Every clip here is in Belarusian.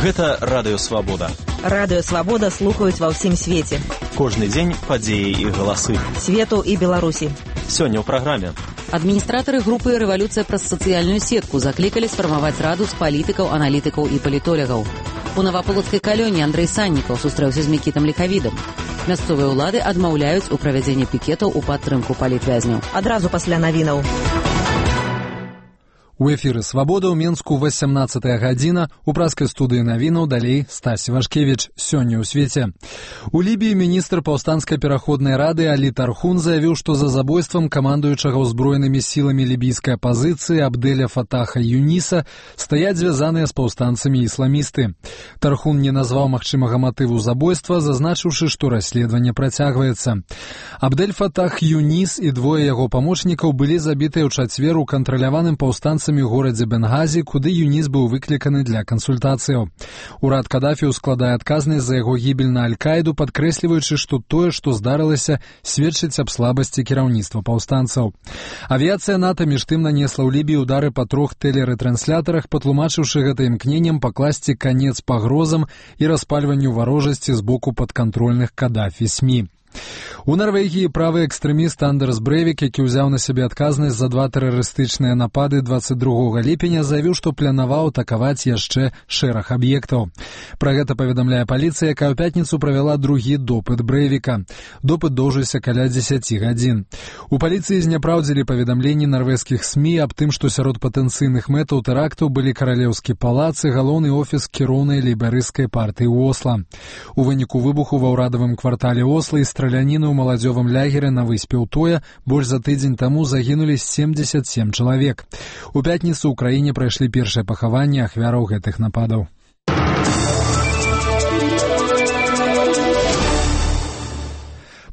Гэта Радыё Свабода. Радыё Свабода слухаюць ва ўсім свеце. Кожны дзень падзеі і галасы. Свету і Беларусі. Сёння ў праграме. Адміністратары групы «Рэвалюцыя праз сацыяльную сетку» заклікалі сфармаваць раду з палітыкаў, аналітыкаў і палітолягаў. У Наваполацкай калоні Андрэй Саннікаў сустрэўся з Мікітам Ліхавідам. Мясцовыя ўлады адмаўляюць у правядзенні пікетаў у падтрымку палітвязняў. Адразу пасля навінаў. У эфіры «Свабода» ў Менску 18 гадзіна. У праскай студыі навінаў далей Стась Вашкевіч. Сёння ў свеце. У Лібіі міністр паўстанцкай пераходнай рады Алі Тархун заявіў, што за забойствам камандуючага ўзброенымі сіламі лібійскай апазіцыі Абдэля Фатаха Юніса стаяць звязаныя з паўстанцамі ісламісты. Тархун не назваў магчымага матыву забойства, зазначыўшы, што расследаванне працягваецца. Абдэль Фатах Юнис і двое яго памочнікаў былі забітыя ў чацвер у кантраляваным паўстанцамі горадзе Бенгазі, куды Юніс быў выкліканы для кансультацыяў. Урад Кадафі складае адказнасць за яго гібель на Аль-Каіду, падкрэсліваючы, што тое, што здарылася, сведчыць аб слабасці кіраўніцтва паўстанцаў. Авіяцыя НАТО між тым нанесла ў Лібіі удары па 3 тэлерэтрансляторах, патлумачыўшы гэта імкненнем пакласці канец пагрозам і распальванню варожасці з боку падкантрольных Кадафі СМІ. У Нарвегіі правы экстрэміст Андерс Брэвік, які ўзяў на сябе адказнасць за 2 тэрарыстычныя напады 22 ліпеня, заявіў, што планаваў атакаваць яшчэ шэраг аб'ектаў. Пра гэта паведамляе паліцыя, якая ў пятніцу правяла другі допыт Брэвіка. Допыт доўжыўся каля 10 гадзін. У паліцыі зняпраўдзілі паведамленні нарвежскіх СМІ аб тым, што сярод патэнцыйных мэтаў тэрактаў былі каралеўскі палац і галоўны офіс кіроўнай лейбарысцкай партыі ў Осла. У выніку выбуху ва ўрадавым квартале Осла і страляніны ў маладзёвым лягеры на выспе Утоя больш за тыдзень таму загінулі 77 чалавек. У пятніцу ў краіне прайшлі першыя пахаванні ахвяраў гэтых нападаў.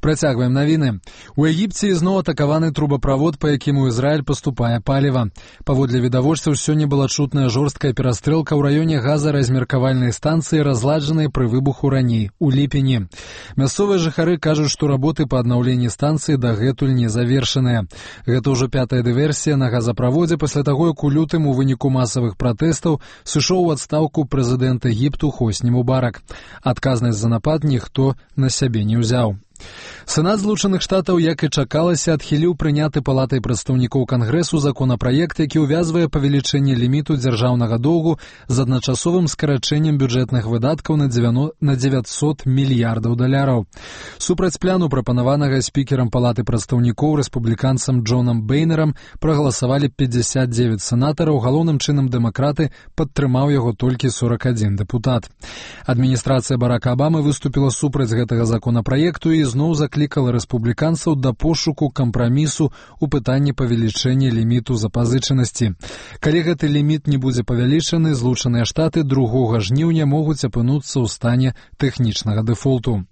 Працягваем навіны. У Егіпце ізноў атакаваны трубаправод, па якім у Ізраіль паступае паліва. Паводле відавочцаў, сёння была чутная жорсткая перастрэлка ў раёне газаразмеркавальнай станцыі, разладжанай пры выбуху раней, у ліпені. Мясцовыя жыхары кажуць, што работы па аднаўленні станцыі дагэтуль не завершаныя. Гэта ўжо 5-я дыверсія на газаправодзе пасля таго, як у лютым у выніку масавых пратэстаў сышоў у адстаўку прэзідэнт Егіпту Хосні Мубарак. Адказнасць за напад ніхто на сябе не ўзяў. Сенат Злучаных Штатаў, як і чакалася, адхіліў прыняты палатай прадстаўнікоў Кангрэсу законапраект, які ўвязвае павелічэнне ліміту дзяржаўнага доўгу з адначасовым скарачэннем бюджэтных выдаткаў на 900 мільярдаў даляраў. Супраць пляну, прапанаванага спікерам палаты прадстаўнікоў рэспубліканцам Джонам Бейнерам, прагаласавалі 59 сенатараў, галоўным чынам дэмакраты, падтрымаў яго толькі 41 дэпутат. Адміністрацыя Барака Абамы выступіла супраць гэтага законапраекту і зноў заклікала рэспубліканцаў да пошуку кампрамісу ў пытанні павелічэння ліміту запазычанасці. Калі гэты ліміт не будзе павялічаны, Злучаныя Штаты 2 жніўня могуць апынуцца ў стане тэхнічнага дэфолту.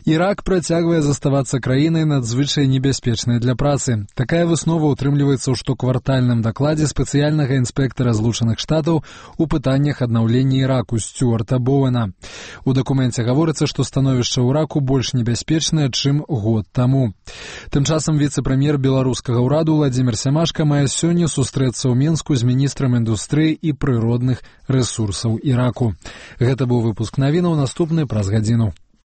Ірак працягвае заставацца краінай надзвычай небяспечнай для працы. Такая выснова ўтрымліваецца ў штоквартальным дакладзе спецыяльнага інспектара Злучаных Штатаў у пытаннях аднаўлення Іраку Стюарта Боуэна. У дакуменце гаворыцца, што становішча ў Іраку больш небяспечнае, чым год таму. Тым часам віцэ-прэм'ер беларускага ўраду Владзімір Сямашка мае сёння сустрэцца ў Менску з міністрам індустрыі і прыродных рэсурсаў Іраку. Гэта быў выпуск навінаў, наступны праз гадзіну.